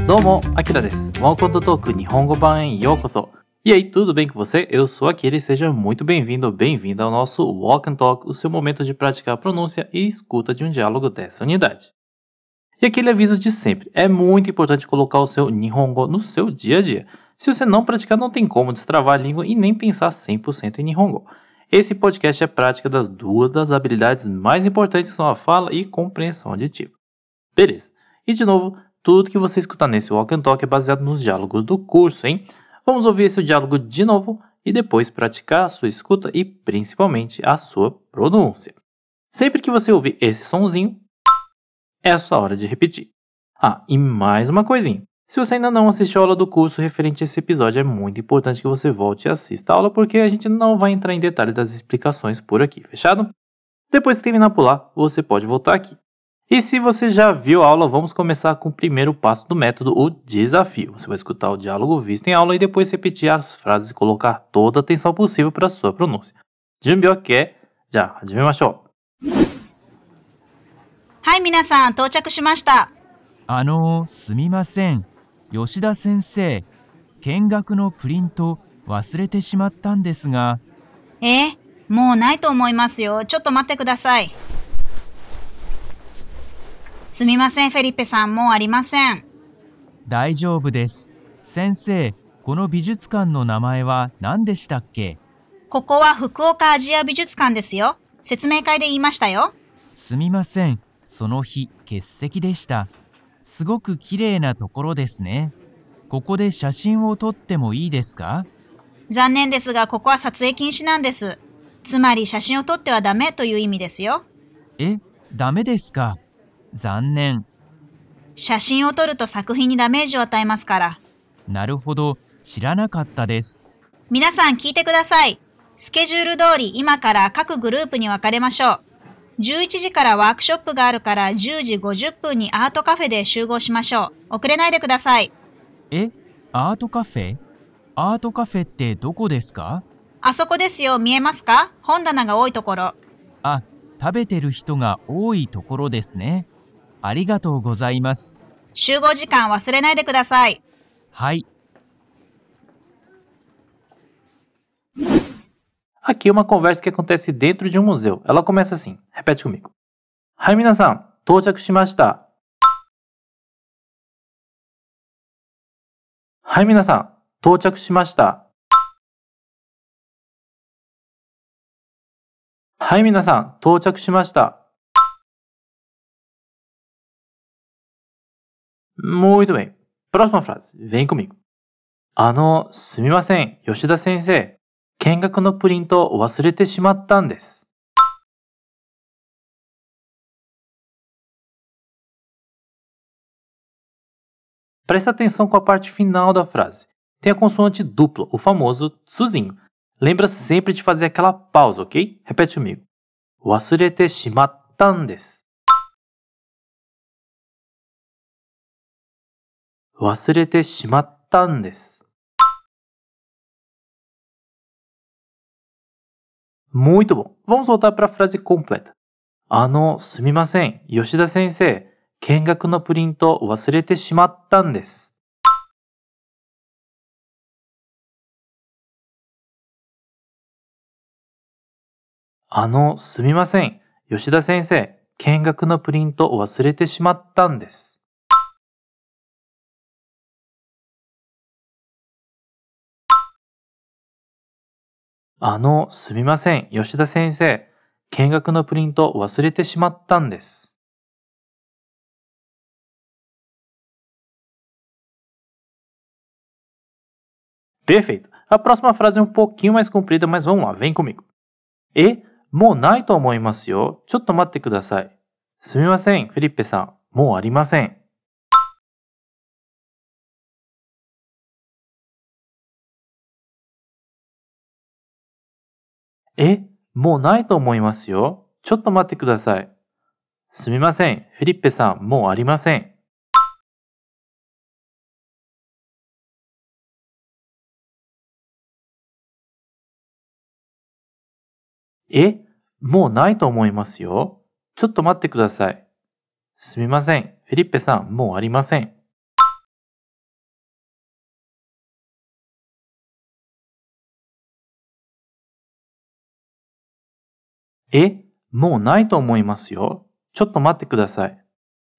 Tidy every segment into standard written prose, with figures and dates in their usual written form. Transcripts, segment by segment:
どうも、アキラです。Welcome to Talk 日本語版へようこそ。E aí, tudo bem com você? Eu sou Akira e seja muito bem-vindo ou bem-vinda ao nosso Walk and Talk, o seu momento de praticar a pronúncia e escuta de um diálogo dessa unidade. E aquele aviso de sempre, é muito importante colocar o seu Nihongo no seu dia a dia. Se você não praticar, não tem como destravar a língua e nem pensar 100% em Nihongo. Esse podcast é prática das duas das habilidades mais importantes que são a fala e compreensão auditiva. Beleza. E de novo, tudo que você escutar nesse Walk and Talk é baseado nos diálogos do curso, hein? Vamos ouvir esse diálogo de novo e depois praticar a sua escuta e principalmente a sua pronúncia. Sempre que você ouvir esse sonzinho, é a sua hora de repetir. Ah, e mais uma coisinha. Se você ainda não assistiu a aula do curso referente a esse episódio, é muito importante que você volte e assista a aula porque a gente não vai entrar em detalhe das explicações por aqui, fechado? Depois que terminar por lá, você pode voltar aqui. E se você já viu a aula, vamos começar com o primeiro passo do método, o desafio. Você vai escutar o diálogo visto em aula e depois repetir as frases e colocar toda a atenção possível para a sua pronúncia. Junbi ok? Já, hajimemashou. はい、皆さん到着しました。すみません。吉田先生、見学のプリント忘れてしまったんですが。もうないと思いますよ。ちょっと待ってください。すみません、フェリッペさん、もうありません。大丈夫です。先生、この美術館の名前は何でしたっけ？ここは福岡アジア美術館ですよ。説明会で言いましたよ。すみません。その日、欠席でした。すごく綺麗なところですね。ここで写真を撮ってもいいですか？残念ですが、ここは撮影禁止なんです。つまり写真を撮ってはダメという意味ですよ。ダメですか？残念。写真を撮ると作品にダメージを与えますから。なるほど、知らなかったです。皆さん聞いてください。スケジュール通り今から各グループに分かれましょう。11時からワークショップがあるから10時50分にアートカフェで集合しましょう。遅れないでください。アートカフェ？アートカフェってどこですか？あそこですよ。見えますか？本棚が多いところ。食べてる人が多いところですね。ありがとうございます。集合時間忘れないでください。はい。Aqui é uma conversa que acontece dentro de um museu. Ela começa assim. Repete comigo. Hai, minasan, touchaku shimashita. Hai, minasan, touchaku shimashita. Hai, minasan, touchaku shimashita. Muito bem. Próxima frase. Vem comigo. すみません、吉田先生。見学のプリントを忘れてしまったんです。Presta atenção com a parte final da frase. Tem a consoante dupla, o famoso tsuzinho. Lembra sempre de fazer aquela pausa, ok? Repete comigo. 忘れてしまったんです。忘れてしまったんです。Muito bom. Vamos voltar para a frase completa. すみません、吉田先生。見学のプリント忘れてしまったんです。すみません、吉田先生。見学のプリント忘れてしまったんです。すみません、吉田先生。見学のプリント忘れてしまったんです。Perfeito. A próxima frase é um pouquinho mais comprida, mas vamos lá, vem comigo. もうないと思いますよ。ちょっと待ってください。すみません、フェリッペさん。もうありません。もうないと思いますよ。ちょっと待ってください。すみません、フェリッペさん、もうありません。もうないと思いますよ。ちょっと待ってください。すみません。フェリッペさん、もうありません。もうないと思いますよ。ちょっと待ってください。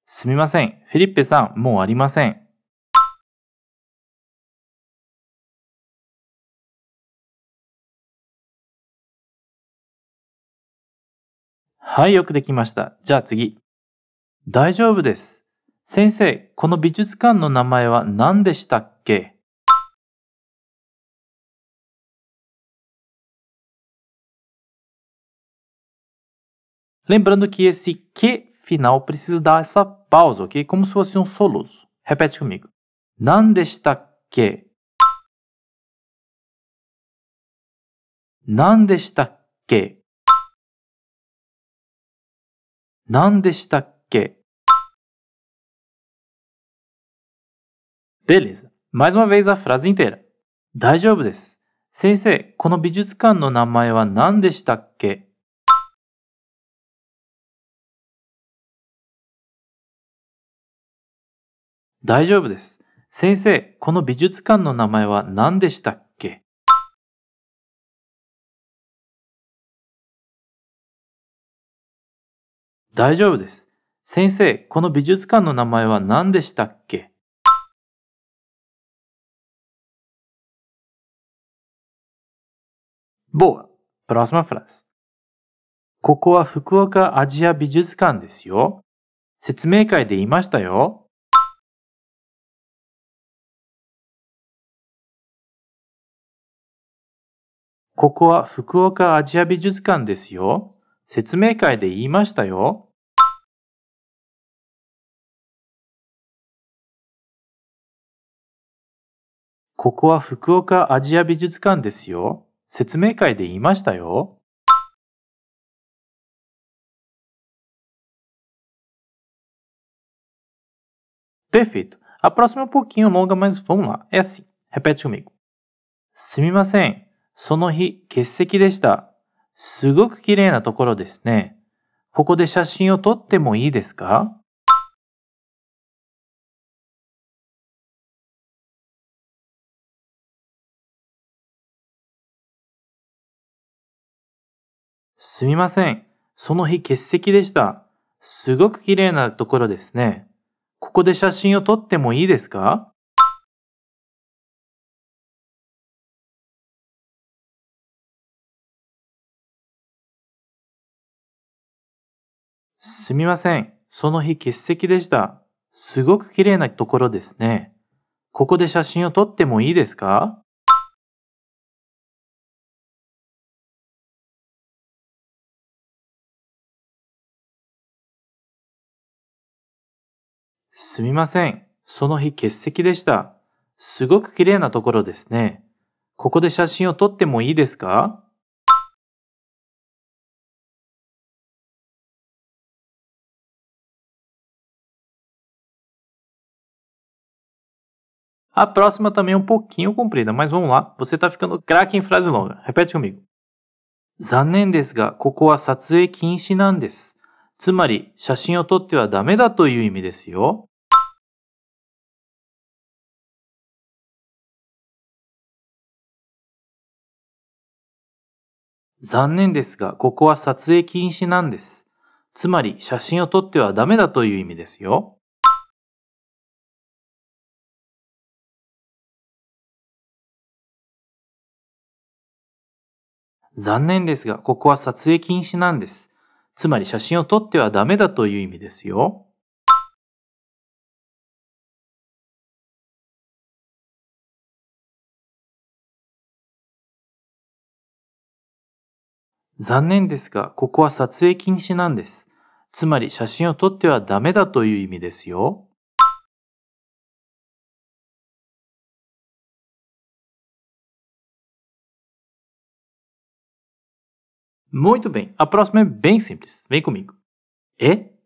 すみません。フェリッペさん、もうありません。はい、よくできました。じゃあ次。大丈夫です。先生、この美術館の名前は何でしたっけ？Lembrando que esse que final precisa dar essa pausa, ok? Como se fosse um soluço. Repete comigo. 何でしたっけ？何でしたっけ？何でしたっけ？ Beleza. Mais uma vez a frase inteira. 大丈夫です。先生、この美術館の名前は何でしたっけ？大丈夫です。先生、この美術館の名前は何でしたっけ？ 大丈夫です。先生、この美術館の名前は何でしたっけ？ Boa! Próxima frase. ここは福岡アジア美術館ですよ。説明会で言いましたよ。ここは福岡アジア美術館ですよ。説明会で言いましたよ。ここは福岡アジア美術館ですよ。説明会で言いましたよ。Perfeito. A próxima é um pouquinho longa, mas vamos lá. É assim. Repete comigo. すみません。その日、欠席でした。すごく綺麗なところですね。ここで写真を撮ってもいいですか？すみません。その日欠席でした。すごく綺麗なところですね。ここで写真を撮ってもいいですか？すみません。その日欠席でした。すごく綺麗なところですね。ここで写真を撮ってもいいですか？すみません。その日欠席でした。すごく綺麗なところですね。ここで写真を撮ってもいいですか？ A próxima também é um pouquinho comprida, mas vamos lá. Você tá ficando craque em frase longa. Repete comigo. 残念ですが、ここは撮影禁止なんです。つまり、写真を撮ってはダメだという意味ですよ。残念ですが、ここは撮影禁止なんです。つまり、写真を撮ってはダメだという意味ですよ。残念ですが、ここは撮影禁止なんです。つまり、写真を撮ってはダメだという意味ですよ。残念ですが、ここは撮影禁止なんです。つまり、写真を撮ってはダメだという意味ですよ。Muito bem. A próxima é bem simples. Vem comigo.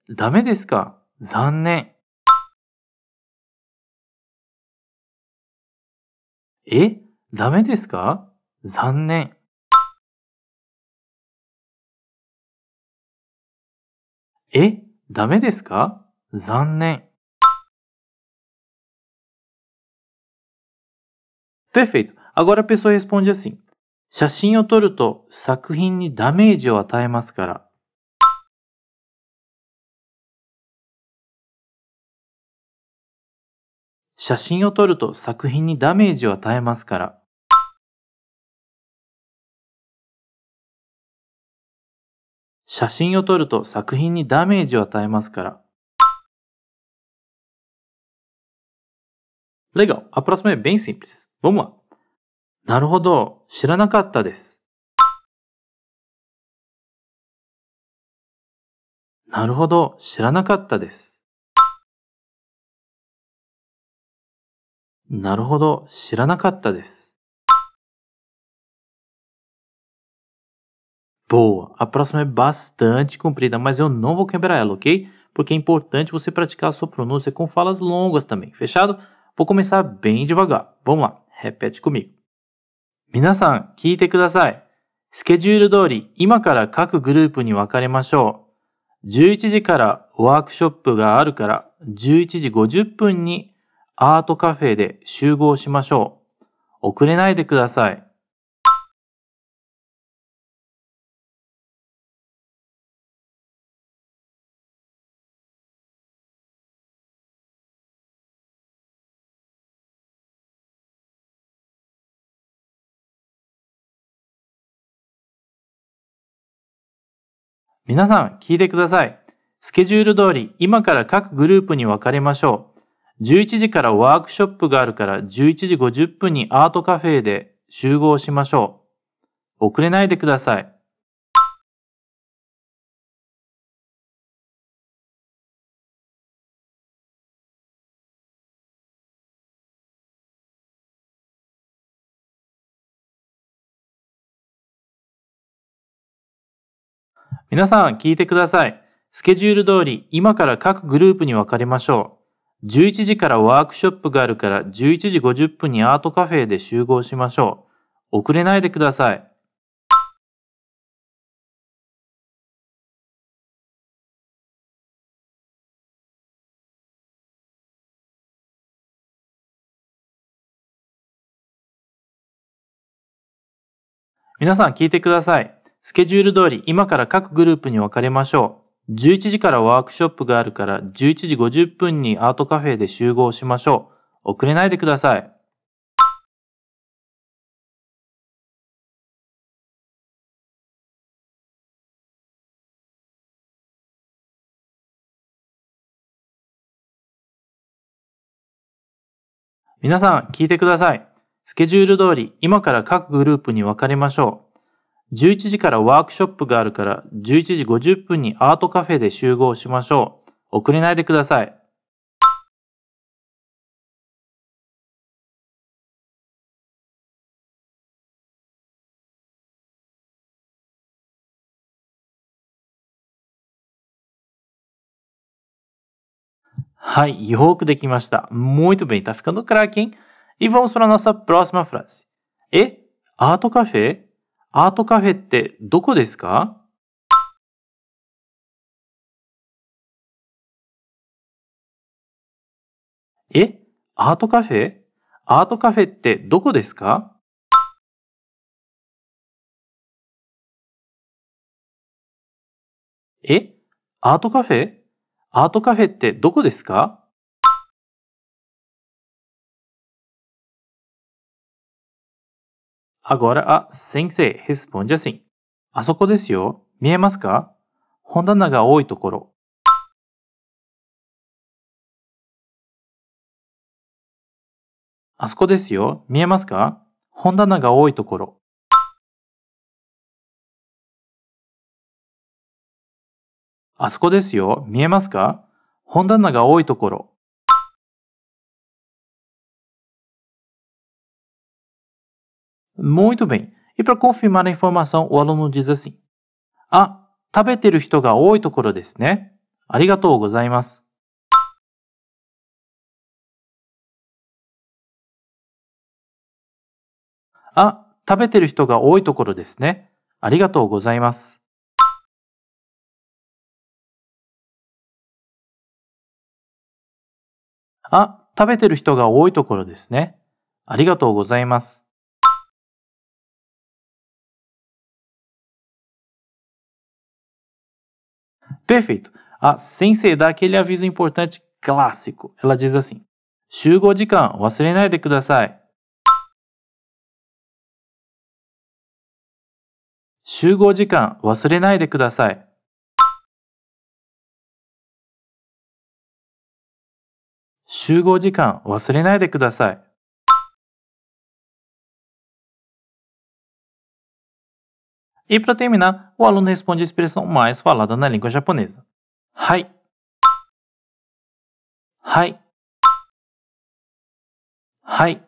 ダメですか？残念。ダメですか？残念。ダメですか？残念。Perfeito. Agora a pessoa responde assim. 写真を撮ると作品にダメージを与えますから。写真を撮ると作品にダメージを与えますから。写真を撮ると作品にダメージを与えますから。Legal. A próxima é bem simples. Vamos lá. なるほど。知らなかったです。なるほど。知らなかったです。なるほど。知らなかったです。Boa. A próxima é bastante comprida, mas eu não vou quebrar ela, ok? Porque é importante você praticar a sua pronúncia com falas longas também. Fechado? Vou começar bem devagar. Vamos lá. Repete comigo. 皆さん、聞いてください。スケジュール通り、今から各グループに分かれましょう。11時からワークショップがあるから、11時50分にアートカフェで集合しましょう。遅れないでください。皆さん、聞いてください。スケジュール通り、今から各グループに分かれましょう。11時からワークショップがあるから11時50分にアートカフェで集合しましょう。遅れないでください。皆さん、聞いてください。スケジュール通り、今から各グループに分かれましょう。11時からワークショップがあるから11時50分にアートカフェで集合しましょう。遅れないでください。皆さん聞いてください。スケジュール通り今から各グループに分かれましょう。11時からワークショップがあるから11時50分にアートカフェで集合しましょう。遅れないでください。皆さん聞いてください。スケジュール通り今から各グループに分かれましょう。11時からワークショップがあるから11時50分にアートカフェで集合しましょう。遅れないでください。はい、よくできました。Muito bem, tá ficando craque, hein? E vamos para a nossa próxima frase. Ato ートカフェアートカフェってどこですかえアートカフェアートカフェってどこですかアートカフェアートカフェってどこですか Agora a sensei responde assim. あそこですよ。見えますか本棚が多いところ。あそこですよ。見えますか本棚が多いところ。あそこですよ。見えますか本棚が多いところ。Muito bem. E para confirmar a informação, o aluno diz assim. あ、食べてる人が多いところですね。ありがとうございます。あ、食べてる人が多いところですね。ありがとうございます。あ、食べてる人が多いところですね。ありがとうございます。Perfeito. A sensei dá aquele aviso importante clássico. Ela diz assim: 集合時間忘れないでください。集合時間忘れないでください。集合時間忘れないでください。E para terminar, o aluno responde a expressão mais falada na língua japonesa. はい。はい。はい。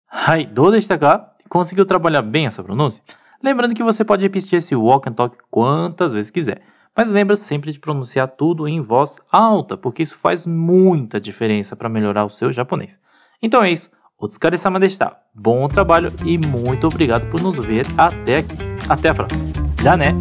はい。どうでしたか? Conseguiu trabalhar bem essa pronúncia? Lembrando que você pode repetir esse walk and talk quantas vezes quiser. Mas lembra sempre de pronunciar tudo em voz alta, porque isso faz muita diferença para melhorar o seu japonês. Então é isso. Otsukare-sama deshita. Bom trabalho e muito obrigado por nos ver até aqui. Até a próxima. Já né?